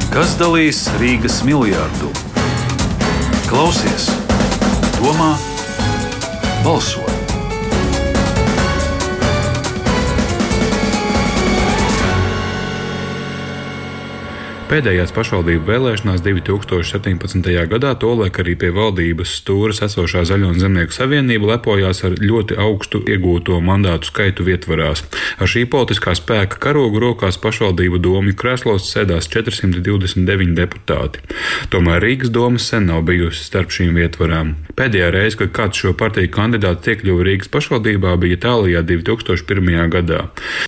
Kas dalīs Rīgas miljardu? Klausies, domā, balso! Pēdējās pašvaldību vēlēšanās 2017. gadā tolaik arī pie valdības stūres esošā Zaļo un Zemnieku savienība lepojās ar ļoti augstu iegūto mandātu skaitu vietvarās. Ar šī politiskā spēka karogu rokās pašvaldību domju krēslos sēdās 429 deputāti. Tomēr Rīgas doma sen nav bijusi starp šīm vietvarām. Pēdējā reize, kad kāds šo partiju kandidāts iekļuva Rīgas pašvaldībā, bija tālajā 2001. gadā.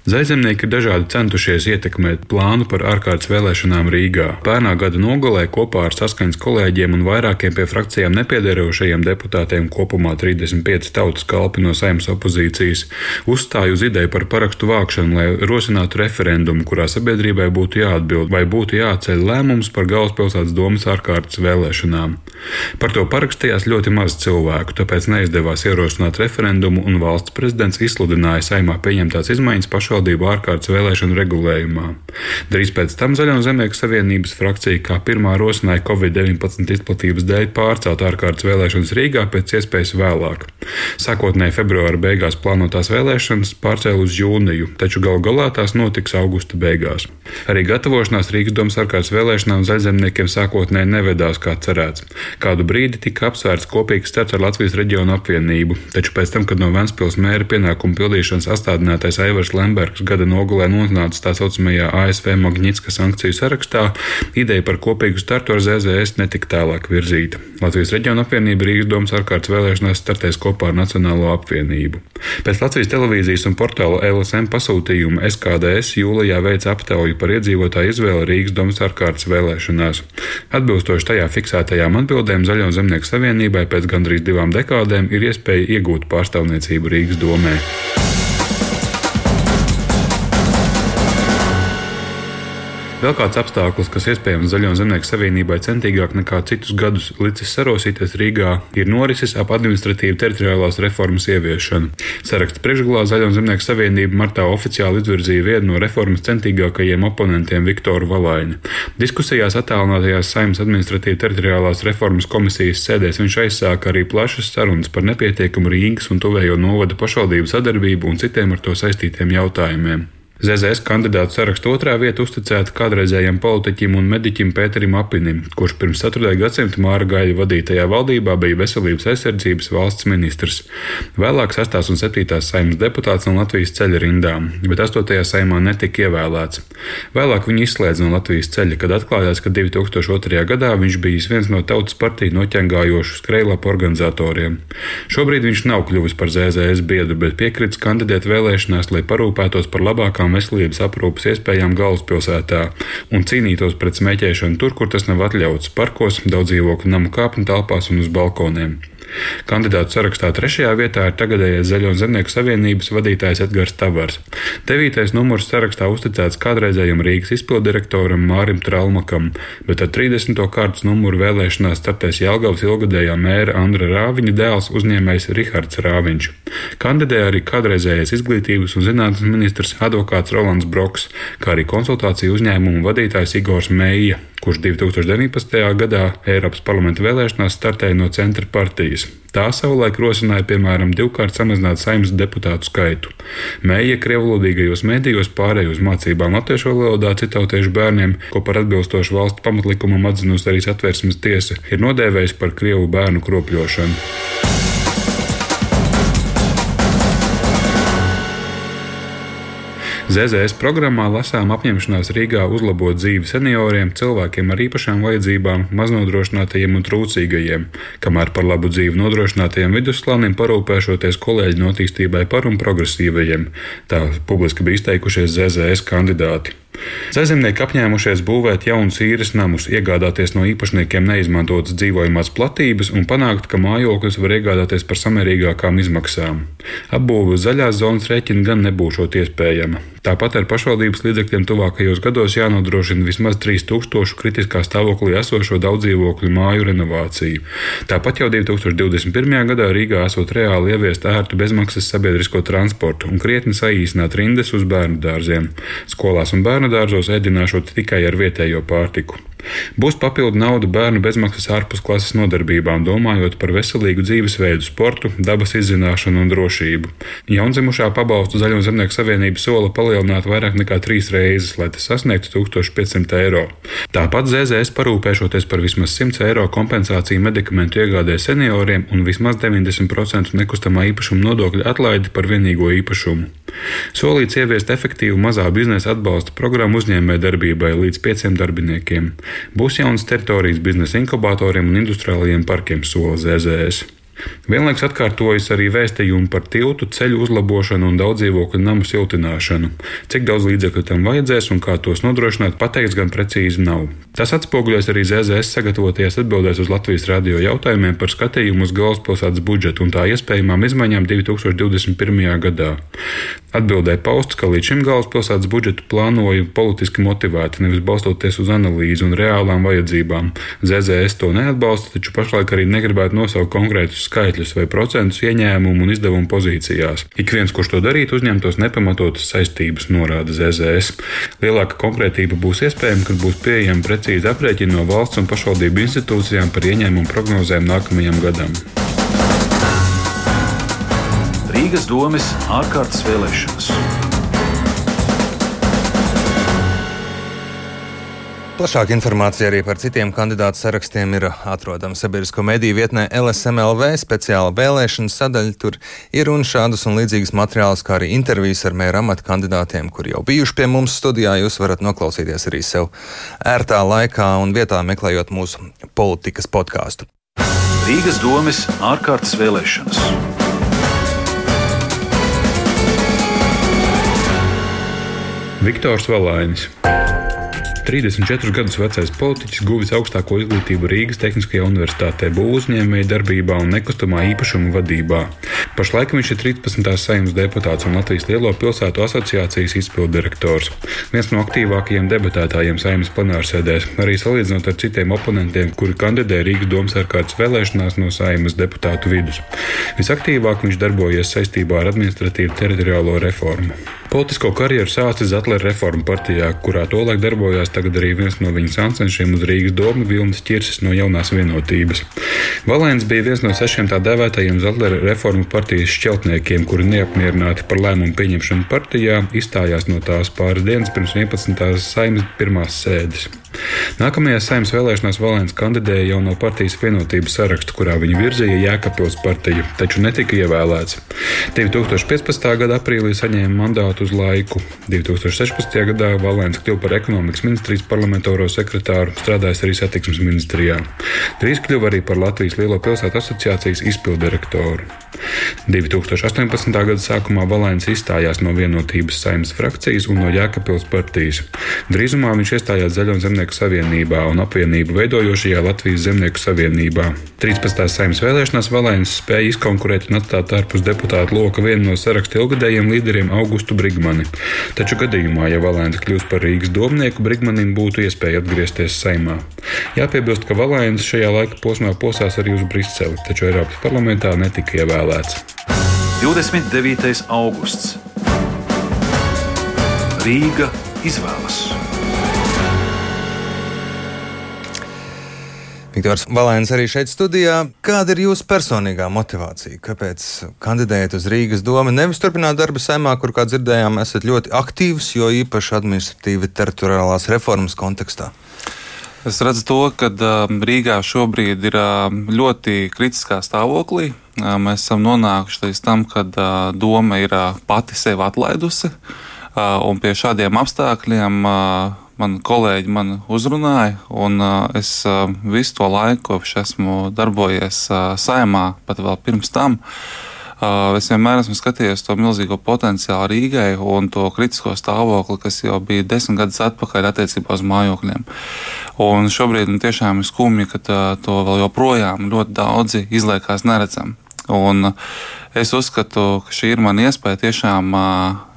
Zaļzemnieki ir dažādi centušies ietekmēt plānu par ārkārtas vēlēšanām Rīgā. Pērnā gada nogalē kopā ar Saskaņas kolēģiem un vairākiem pie frakcijām nepiederošajiem deputātiem, kopumā 35 tautas kalpi no Saeimas opozīcijas, uzstāja uz ideju par parakstu vākšanu, lai rosinātu referendumu, kurā sabiedrībai būtu jāatbild vai būtu jāceļ lēmums par galvaspilsētas domas ārkārtas vēlēšanām. Par to parakstījās ļoti maz cilvēku, tāpēc neizdevās ierosināt referendumu un valsts prezidents izsludināja Saeimā pieņemtās izmaiņas pašvaldību ārkārtas vēlēšanu regulējumā. Drīz pēc tam Zaļo un Zemnieku savienības frakcija kā pirmā rosināja Covid-19 izplatības dēļ pārcelt ārkārtas vēlēšanas Rīgā pēc iespējas vēlāk. Sākotnēji februāra beigās plānotās vēlēšanas pārcēla uz jūniju, taču galu galā tās notiks augusta beigās. Arī gatavošanās Rīgas domas ārkārtas vēlēšanām zaļzemniekiem sākotnēji nevedās kā cerēts. Kādu brīdi tika apsvērts kopīgs starts ar Latvijas reģionu apvienību, taču pēc tam, kad no Ventspils mēra pienākumu pildīšanas astādinātais Aivars Lembergs gada nogalē nonāca tā saucamajā ASV Magnitska sankciju sarakstā, ideja par kopīgu startu ar ZZS netika tālāk virzīta. Latvijas reģiona apvienība Rīgas domas ārkārtas vēlēšanās startēs kopā ar Nacionālo apvienību. Pēc Latvijas televīzijas un portāla LSM pasūtījuma SKDS jūlijā veica aptauju par iedzīvotāju izvēli Rīgas domas ārkārtas vēlēšanās. Atbilstoši tajā fiksētajām atbildēm Zaļo un Zemnieku savienībai pēc gandrīz 2 dekādēm ir iespēja iegūt pārstāvniecību Rīgas domē. Vēl kāds apstākļus, kas iespējams Zaļo un Zemnieku savienībai centīgāk nekā citus gadus licis sarosīties Rīgā, ir norises ap administratīvu teritoriālās reformas ieviešanu. Saraksta priekšgalā Zaļo un Zemnieku savienība martā oficiāli izvirzīja vienu no reformas centīgākajiem oponentiem Viktoru Valaini. Diskusijās attālinātajās Saeimas administratīvu teritoriālās reformas komisijas sēdēs viņš aizsāka arī plašas sarunas par nepietiekumu Rīgas un tuvējo novada pašvaldību sadarbību un citiem ar to saistītiem jautājumiem. ZZS kandidātu sarakstu otrā vieta uzticēta kādreizējam politiķim un mediķim Pēterim Apinim, kurš pirms 4. gadsimta Māra Gaļa vadītajā valdībā bija veselības aizsardzības valsts ministrs. Vēlāk 6. un 7. Saeimas deputāts no Latvijas ceļa rindām, bet 8. Saeimā netika ievēlēts. Vēlāk viņu izslēdza no Latvijas ceļa, kad atklājās, ka 2002. gadā viņš bijis viens no tautas partiju noķengājošu skrejlapu organizatoriem. Šobrīd viņš nav kļuvis par ZZS biedru, bet piekritis kandidēt vēlēšanās, lai parūpētos par labākām veselības aprūpes iespējām galvaspilsētā un cīnītos pret smēķēšanu tur, kur tas nav atļauts - parkos, daudzdzīvokļu namu kāpņu telpās un uz balkoniem. Kandidātu sarakstā 3. vietā ir tagadējais Zaļo un Zemnieku savienības vadītājs Edgars Tavars. 9. numurs sarakstā uzticēts kādreizējam Rīgas izpilddirektoram Mārim Tralmakam, bet ar 30. kārtas numuru vēlēšanās startēs Jelgavas ilgadējā mēra Andra Rāviņa dēls uzņēmējs Rihards Rāviņš. Kandidē arī kādreizējais izglītības un zinātnes ministrs advokāts Rolands Broks, kā arī konsultāciju uzņēmumu vadītājs Igors Meija, kurš 2019. gadā Eiropas parlamenta vēlēšanās startēja no Centra partijas. Tā savulaik rosināja, piemēram, 2-kārt samazināt Saeimas deputātu skaitu. Meija krievlodīgajos medijos pārēja uz mācībām latviešu valodā citautiešu bērniem, ko par atbilstošu valsts pamatlikumam atzinusi arī Satversmes tiesa, ir nodēvējis par krievu bērnu kropļošanu. ZZS programmā lasām apņemšanās Rīgā uzlabot dzīvi senioriem, cilvēkiem ar īpašām vajadzībām, maznodrošinātajiem un trūcīgajiem, kamēr par labu dzīvi nodrošinātajiem vidusslānim parūpēšoties kolēģi attīstībai par un progresīvajiem. Tā publiski bija izteikušies ZZS kandidāti. Zaļzemnieki apņēmušies būvēt jaunus īres namus, iegādāties no īpašniekiem neizmantotas dzīvojamās platības un panākt, ka mājokļus var iegādāties par samērīgākām izmaksām. Apbūve uz zaļās zonas rēķina gan nebūšot iespējama. Tāpat ar pašvaldības līdzekļiem tuvākajos gados jānodrošina vismaz 3000 kritiskā stāvoklī esošo daudzdzīvokļu māju renovāciju. Tāpat jau 2021. gadā Rīgā esot reāli ieviest ērtu bezmaksas sabiedrisko transportu un krietni saīsināt rindas uz bērnu dārziem. Skolās un bērnu dārzos ēdināšot tikai ar vietējo pārtiku. Būs papildu nauda bērnu bezmaksas ārpusklases nodarbībām, domājot par veselīgu dzīvesveidu, sportu, dabas izzināšanu un drošību. Jaundzimušā pabalstu Zaļo zemnieku savienība sola palielināt vairāk nekā 3 reizes, lai tas sasniegtu 1500 eiro. Tāpat ZZS parūpēšoties par vismaz 100 eiro kompensāciju medikamentu iegādē senioriem un vismaz 90% nekustamā īpašuma nodokļa atlaidi par vienīgo īpašumu. Solīts ieviest efektīvu mazā biznesa atbalsta programmu uzņēmējdarbībai līdz 5 darbiniekiem. Būs jaunas teritorijas biznesa inkubatoriem un industriālajiem parkiem, sola ZZS. Vienlaikus atkārtojas arī vēstījumi par tiltu, ceļu uzlabošanu un daudzdzīvokļu namu siltināšanu. Cik daudz līdzekļu tam vajadzēs un kā tos nodrošināt, pateikts gan precīzi nav. Tas atspoguļojas arī ZZS sagatavoties atbildēs uz Latvijas radio jautājumiem par skatījumu uz galvaspilsētas budžetu un tā iespējamām izmaiņām 2021. gadā. Atbildē pausts, ka līdz šim galvaspilsētas budžetu plānoja politiski motivēti, nevis balstoties uz analīzi un reālām vajadzībām. ZZS to neatbalsta, taču pašlaik arī negribētu nosaukt konkrētus skaitļus vai procentus ieņēmumu un izdevumu pozīcijās. Ik viens, kurš to darītu, uzņemtos nepamatotas saistības, norāda ZZS. Lielāka konkrētība būs iespējama, kad būs pieejami precīzi aprēķini no valsts un pašvaldību institūcijām par ieņēmumu prognozēm nākamajam gadam. Rīgas domes ārkārtas vēlēšanas. Plašāka informācija arī par citiem kandidātu sarakstiem ir atrodama sabiedrisko mediju vietnē LSMLV speciāla vēlēšana sadaļa. Tur ir un šādus un līdzīgas materiālus, kā arī intervijas ar mēra amata kandidātiem, kuri jau bijuši pie mums studijā. Jūs varat noklausīties arī sev ērtā laikā un vietā, meklējot mūsu politikas podkāstu. Rīgas domes ārkārtas vēlēšanas. Viktors Valainis. 34 gadus vecais politiķis guvis augstāko izglītību Rīgas Tehniskajā universitātē, būvuzņēmēju darbībā un nekustamā īpašuma vadībā. Pašlaik viņš ir 13. Saeimas deputāts un Latvijas Lielo pilsētu asociācijas izpilddirektors. Viens no aktīvākajiem debatētājiem Saeimas plenārsēdēs, arī salīdzinot ar citiem oponentiem, kuri kandidē Rīgas domes ārkārtas vēlēšanās no Saeimas deputātu vidus. Visaktīvāk viņš darbojies saistībā ar administratīvu teritoriālo reformu. Politisko karjeru sācis Zatlera reformu partijā, kurā tolaik darbojās tagad arī viens no viņa sancenšiem uz Rīgas domu Vilnis Ķirsis no Jaunās vienotības. Valainis bija viens no 6 tā dēvētajiem Zatlera reformu partijas šķeltniekiem, kuri neapmierināti par lēmumu pieņemšanu partijā izstājās no tās pāris dienas pirms 11. Saeimas pirmās sēdes. Nākamajās Saeimas vēlēšanās Valainis kandidēja jau no partijas vienotības saraksta, kurā viņu virzīja Jēkabpils partija, taču netika ievēlēts. 2015. gada aprīlī saņēma mandātu uz laiku. 2016. gadā Valainis kļuva par ekonomikas ministrijas parlamentāro sekretāru, strādājis arī satiksmes ministrijā. Drīz kļuva arī par Latvijas Lielo pilsētu asociācijas izpilddirektoru. 2018. gada sākumā Valainis izstājās no vienotības Saeimas frakcijas un no Jēkabpils partijas. Drīzumā viņš iestājās Zaļo zemnieku savienībā un apvienību veidojošajā Latvijas zemnieku savienībā. 13. Saeimas vēlēšanās Valainis spēja izkonkurēt un atstāt ārpus deputātu loka vienu no saraksta ilgadējiem līderiem Augustu Brigmani. Taču gadījumā, ja Valainis kļūs par Rīgas domnieku, Brigmanim būtu iespēja atgriezties Saeimā. Jāpiebilst, ka Valainis šajā laika posmā posās arī uz Briseli, taču Eiropas parlamentā netika ievēlēts. 29. augusts. Rīga izvēlas. Viktors Valainis arī šeit studijā. Kāda ir jūsu personīgā motivācija? Kāpēc kandidējat uz Rīgas domu? Nevis turpināt darbu Saeimā, kur, kā dzirdējām, esat ļoti aktīvs, jo īpaši administratīvi teritoriālās reformas kontekstā. Es redzu to, ka Rīgā šobrīd ir ļoti kritiskā stāvoklī. Mēs esam nonākuši līdz tam, kad doma ir pati sevi atlaidusi, un pie šādiem apstākļiem mani kolēģi mani uzrunāja, un es visu to laiku, kopš esmu darbojies Saeimā, pat vēl pirms tam, es vienmēr esmu skatījies to milzīgo potenciālu Rīgai un to kritisko stāvokli, kas jau bija 10 gadus atpakaļ attiecībā uz mājokļiem. Un šobrīd tiešām ir skumji, ka to vēl joprojām ļoti daudzi izliekās neredzam. Un es uzskatu, ka šī ir mana iespēja tiešām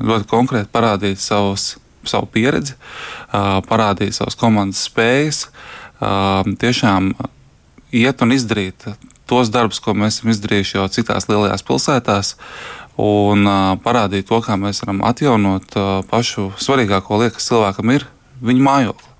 ļoti konkrēti parādīt savu pieredzi, parādīt savas komandas spējas, tiešām iet un izdarīt tos darbus, ko mēs esam izdarījuši jau citās lielajās pilsētās, un parādīt to, kā mēs varam atjaunot pašu svarīgāko lietu, kas cilvēkam ir, viņa mājokli.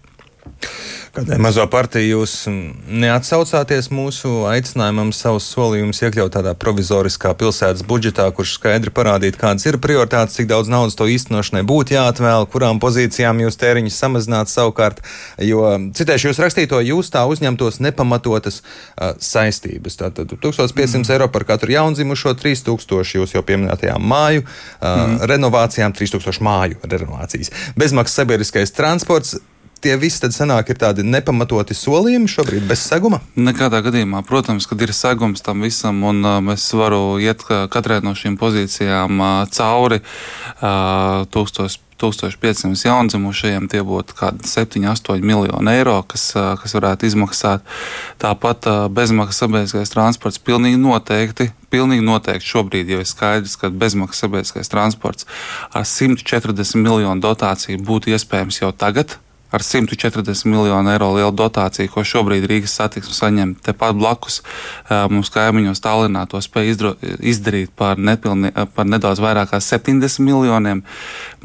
Kādai mazo partiju jūs neatsaucāties mūsu aicinājumam savus solījumus iekļaut tādā provizoriskā pilsētas budžetā, kurš skaidri parādītu, kādas ir prioritātes, cik daudz naudas to īstenošanai būtu jāatvēl, kurām pozīcijām jūs tēriņus samazināt savukārt, jo, citēšu jūs rakstīto, jūs tā uzņemtos nepamatotas saistības. Tātad 1500 eiro par katru jaundzimušo, 3000 jūs jau pieminētajām māju renovācijām, 3000 māju renovācijas. Bezmaksas sabiedriskais transports. Tie visi tad sanāk ir tādi nepamatoti solījumi šobrīd bez seguma? Nekādā gadījumā, protams, kad ir segums tam visam, un es varu iet katrai no šīm pozīcijām cauri 1500 jaundzimušajiem, tie būtu kādi 7-8 miljoni eiro, kas varētu izmaksāt. Tāpat bezmaksas sabiedriskais transports pilnīgi noteikti šobrīd jau ir skaidrs, ka bezmaksas sabiedriskais transports ar 140 miljonu dotāciju būtu iespējams jau tagad. Ar 140 miljonu eiro lielu dotāciju, ko šobrīd Rīgas satiksme saņem tepat blakus, mums kaimiņos Tallinā to spēja izdarīt par nedaudz vairāk kā 70 miljoniem.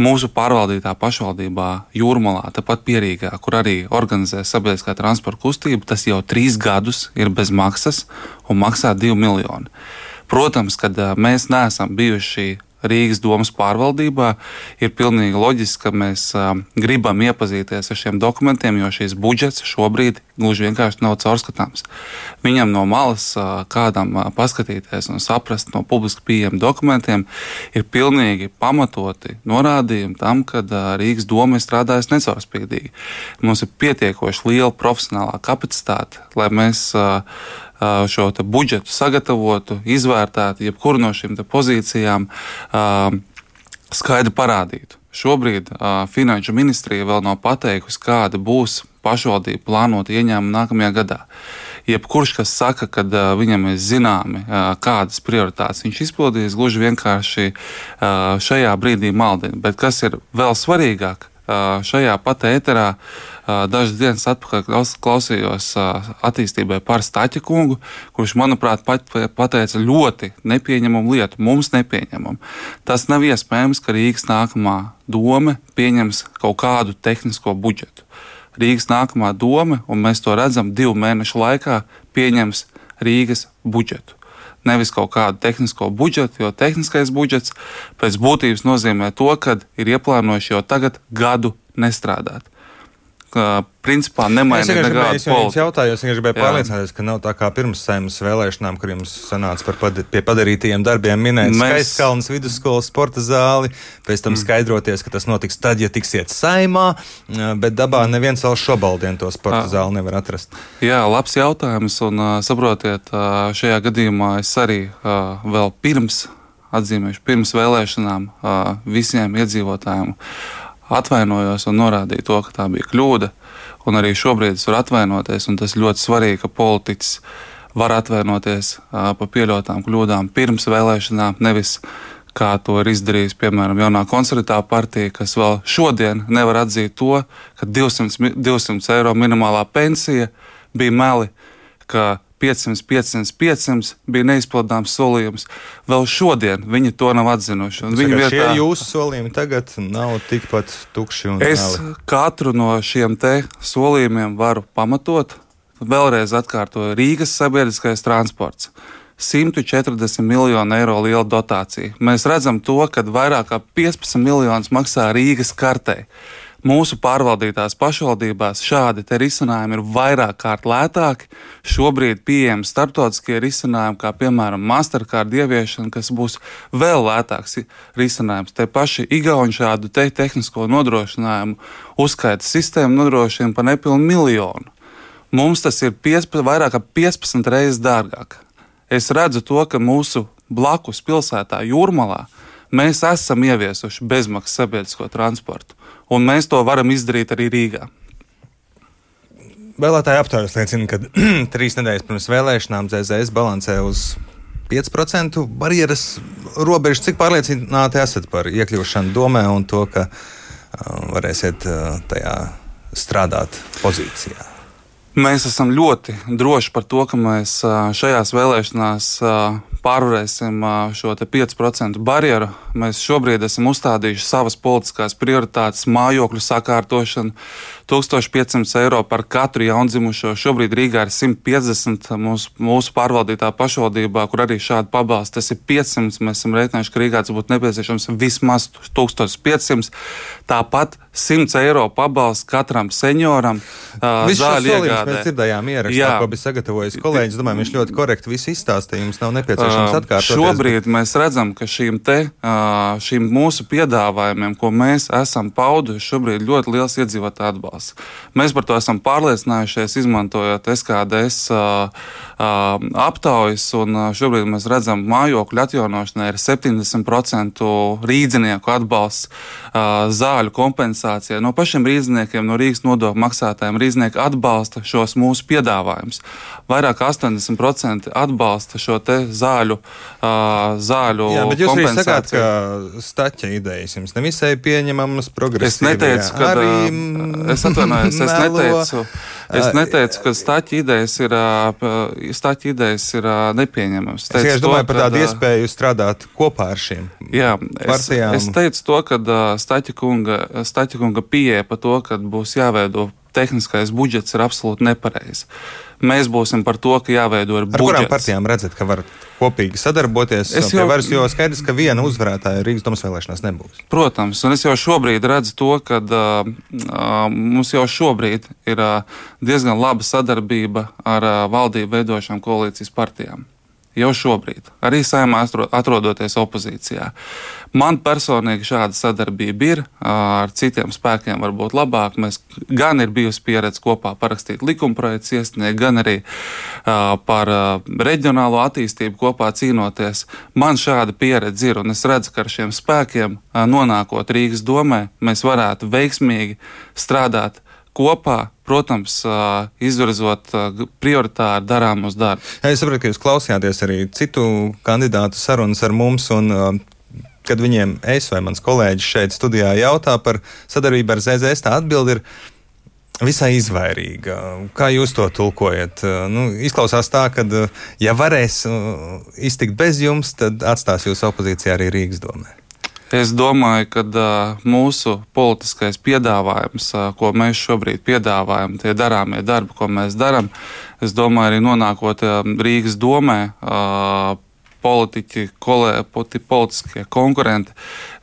Mūsu pārvaldītā pašvaldībā Jūrmalā, tepat Pierīgā, kur arī organizē sabiedriskā transporta kustību, tas jau 3 gadus ir bez maksas un maksā 2 miljoni. Protams, kad mēs neesam bijuši Rīgas domas pārvaldībā, ir pilnīgi loģiski, ka mēs gribam iepazīties ar šiem dokumentiem, jo šīs budžets šobrīd gluži vienkārši nav caurskatāms. Viņam no malas kādam paskatīties un saprast no publiski pieejamiem dokumentiem ir pilnīgi pamatoti norādījumi tam, ka Rīgas doma ir strādājusi necaurspīdīgi. Mums ir pietiekoši liela profesionālā kapacitāte, lai mēs šo budžetu sagatavotu, izvērtētu, jebkuru no šīm pozīcijām skaidri parādītu. Šobrīd Finanšu ministrija vēl nav pateikusi, kāda būs pašvaldība plānota ieņēmuma nākamajā gadā. Jebkurš, kas saka, ka viņam ir zināmi, kādas prioritātes viņš izpildīs, gluži vienkārši šajā brīdī maldina. Bet kas ir vēl svarīgāk, šajā pat ēterā dažas dienas atpakaļ klausījos attīstībai par Staķa kungu, kurš, manuprāt, pateica ļoti nepieņemamu lietu, mums nepieņemamu. Tas nav iespējams, ka Rīgas nākamā dome pieņems kaut kādu tehnisko budžetu. Rīgas nākamā dome, un mēs to redzam 2 mēnešu laikā, pieņems Rīgas budžetu. Nevis kaut kādu tehnisko budžetu, jo tehniskais budžets pēc būtības nozīmē to, ka ir ieplānojuši jau tagad gadu nestrādāt. Principā nemaina nekādu politiku. Es jautāju, es gribēju pārliecināties, ka nav tā kā pirms Saeimas vēlēšanām, kur jums sanāca pie padarītajiem darbiem minēt Skaistkalnes vidusskolas sporta zāli, pēc tam skaidroties, ka tas notiks tad, ja tiksiet Saeimā, bet dabā neviens vēl šobaldien to sporta zāli nevar atrast. Jā, labs jautājums, un saprotiet, šajā gadījumā es arī vēl pirms vēlēšanām visiem iedzīvotājiem atvainojos un norādīju to, ka tā bija kļūda, un arī šobrīd es varu atvainoties, un tas ļoti svarīgi, ka politiķis var atvainoties par pieļautām kļūdām pirms vēlēšanām, nevis kā to ir izdarījis, piemēram, jaunā konservatīvā partija, kas vēl šodien nevar atzīt to, ka 200 eiro minimālā pensija bija meli, ka 500 bija neizpildāms solījums. Vēl šodien viņi to nav atzinuši. Šie jūsu solījumi tagad nav tikpat tukši un es katru no šiem te solījumiem varu pamatot. Vēlreiz atkārtoju, Rīgas sabiedriskais transports. 140 miljonu eiro liela dotācija. Mēs redzam to, ka vairāk kā 15 miljonus maksā Rīgas kartei. Mūsu pārvaldītās pašvaldībās šādi te risinājumi ir vairāk kārt lētāki. Šobrīd pieejami starptautiskie risinājumi, kā piemēram Mastercard ieviešana, kas būs vēl lētāks risinājums. Te paši Igauni šādu tehnisko nodrošinājumu uzskaita sistēmu nodrošina par nepilnu miljonu. Mums tas ir vairāk kā 15 reizes dārgāk. Es redzu to, ka mūsu blakus pilsētā Jūrmalā mēs esam ieviesuši bezmaksas sabiedrisko transportu. Un mēs to varam izdarīt arī Rīgā. Vēlētāji aptaujas liecina, ka 3 nedēļas pirms vēlēšanām ZZS balansē uz 5% barjeras robežu. Cik pārliecināti esat par iekļūšanu domē un to, ka varēsiet tajā strādāt pozīcijā? Mēs esam ļoti droši par to, ka mēs šajās vēlēšanās pārvarēsim šo 5% barjeru. Mēs šobrīd esam uzstādījuši savas politiskās prioritātes, mājokļu sakārtošanu, 1500 eiro par katru jaundzimušo. Šobrīd Rīgā ir 150 mūsu pārvaldītā pašvaldībā, kur arī šādi pabalsti. Tas ir 500. Mēs esam rēķinājuši, ka Rīgā tas būtu nepieciešams vismaz 1500. Tāpat 100 eiro pabalsts katram senioram. Zāļu iegādē. Mēs dzirdējām ierakstā, ko bija sagatavojis kolēģis. Domāju, viņš ļoti korekti visu izstāstīja. Jums nav nepieciešams atkārtoties. Šobrīd mēs redzam, ka šīm mūsu piedāvājumiem, ko mēs esam pauduši, šobrīd ļoti liels iedzīvotāju atbalsts. Mēs par to esam pārliecinājušies, izmantojot SKDS aptaujas, un šobrīd mēs redzam, mājokļu atjaunošanai ir 70% rīdzinieku atbalsts, zāļu kompensācija. No pašiem rīdziniekiem, no Rīgas nodokļu maksātājiem rīdzinieki atbalsta šos mūsu piedāvājumus. Vairāk 80% atbalsta šo te zāļu kompensāciju. Jā, bet jūs arī sakāt, ka Staķa idejas jums nevisai pieņemamas, progresīvajā. Es neteicu, ka Staķa idejas ir nepieņemamas. Es domāju par tādu iespēju strādāt kopā ar šīm partijām. Es teicu to, ka Staķa kunga pieeja par to, ka būs jāveido tehniskais budžets, ir absolūti nepareizi. Mēs būsim par to, ka jāveido ir budžets. Ar kurām partijām redzat, ka var kopīgi sadarboties? Jo skaidrs, ka viena uzvarētāja Rīgas domas vēlēšanās nebūs. Protams, un es jau šobrīd redzu to, ka mums jau šobrīd ir diezgan laba sadarbība ar valdību veidošām koalīcijas partijām. Jau šobrīd, arī Saeimā atrodoties opozīcijā. Man personīgi šāda sadarbība ir, ar citiem spēkiem varbūt labāk. Mēs gan ir bijusi pieredze kopā parakstīt likumprojektus iesniegt, gan arī par reģionālo attīstību kopā cīnoties. Man šāda pieredze ir, un es redzu, ka ar šiem spēkiem nonākot Rīgas domē, mēs varētu veiksmīgi strādāt kopā, protams, izvirzot prioritāri darāmus darbus. Es saprotu, ka jūs klausījāties arī citu kandidātu sarunas ar mums, un kad viņiem es vai mans kolēģis šeit studijā jautā par sadarbību ar ZZS, tā atbilde ir visai izvairīga. Kā jūs to tulkojat? Izklausās tā, ka ja varēs iztikt bez jums, tad atstās jūs opozīcijā arī Rīgas domē. Es domāju, ka mūsu politiskais piedāvājums, ko mēs šobrīd piedāvājam, tie darāmie darbi, ko mēs darām, es domāju, arī nonākot Rīgas domē, politiskie konkurenti,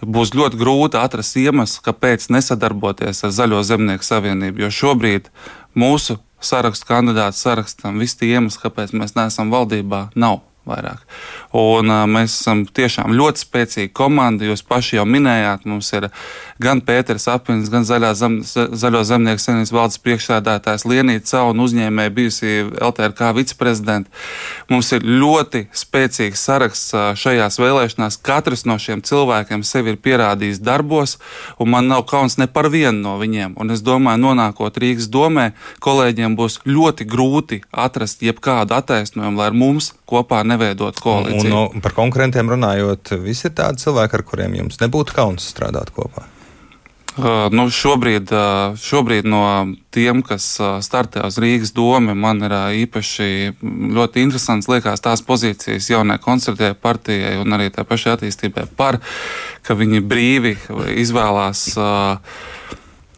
būs ļoti grūti atrast iemeslu, kāpēc nesadarboties ar Zaļo zemnieku savienību, jo šobrīd mūsu sarakstu kandidātu sarakstam visi tie iemesli, kāpēc mēs neesam valdībā, nav vairāk. Un mēs esam tiešām ļoti spēcīga komanda. Jūs paši jau minējāt, mums ir gan Pēters Apins, gan Zaļo zemnieku savienības valdes priekšsēdētājs Lienīta Cau un uzņēmēja bijusi LTRK viceprezidenta. Mums ir ļoti spēcīgs saraksts šajās vēlēšanās. Katrs no šiem cilvēkiem sevi ir pierādījis darbos, un man nav kauns ne par vienu no viņiem. Un es domāju, nonākot Rīgas domē, kolēģiem būs ļoti grūti atrast jebkādu attaisnojumu, lai ar mums kopā neveidot koalīciju. Un par konkurentiem runājot, visi ir tādi cilvēki, ar kuriem jums nebūtu kauns strādāt kopā? Šobrīd no tiem, kas startē uz Rīgas domu, man ir īpaši ļoti interesants liekas tās pozīcijas jaunai konservatīvai partijai un arī tā pašai attīstībai ka viņi brīvi izvēlās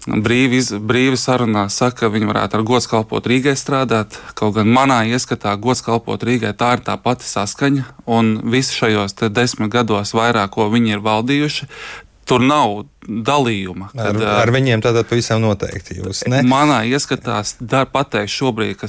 brīvi sarunā saka, ka viņi varētu ar gods kalpot Rīgai strādāt. Kaut gan manā ieskatā gods kalpot Rīgai tā ir tā pati saskaņa, un visi šajos 10 gados vairāk, ko viņi ir valdījuši, tur nav dalījuma. Ar viņiem tātad pavisam noteikti jūs, ne? Manā ieskatā pateikt šobrīd, ka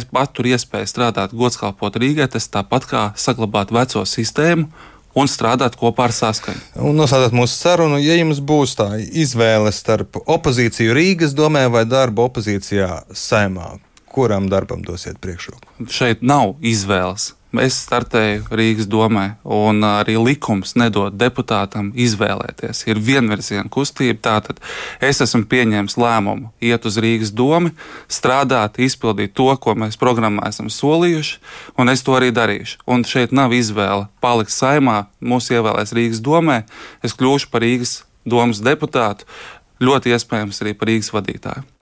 patur iespēju strādāt gods kalpot Rīgai, tas tāpat kā saglabāt veco sistēmu, un strādāt kopā ar saskaņu. Un nosādāt mūsu sarunu, ja jums būs tā izvēle starp opozīciju Rīgas domē vai darbu opozīcijā Saeimā, kuram darbam dosiet priekšroku? Šeit nav izvēles. Es startēju Rīgas domē, un arī likums nedod deputātam izvēlēties. Ir vienvirziena kustība, tātad es esmu pieņēmis lēmumu iet uz Rīgas domu, strādāt, izpildīt to, ko mēs programmā esam solījuši, un es to arī darīšu. Un šeit nav izvēle palikt Saeimā, mūs ievēlēs Rīgas domē, es kļūšu par Rīgas domas deputātu, ļoti iespējams arī par Rīgas vadītāju.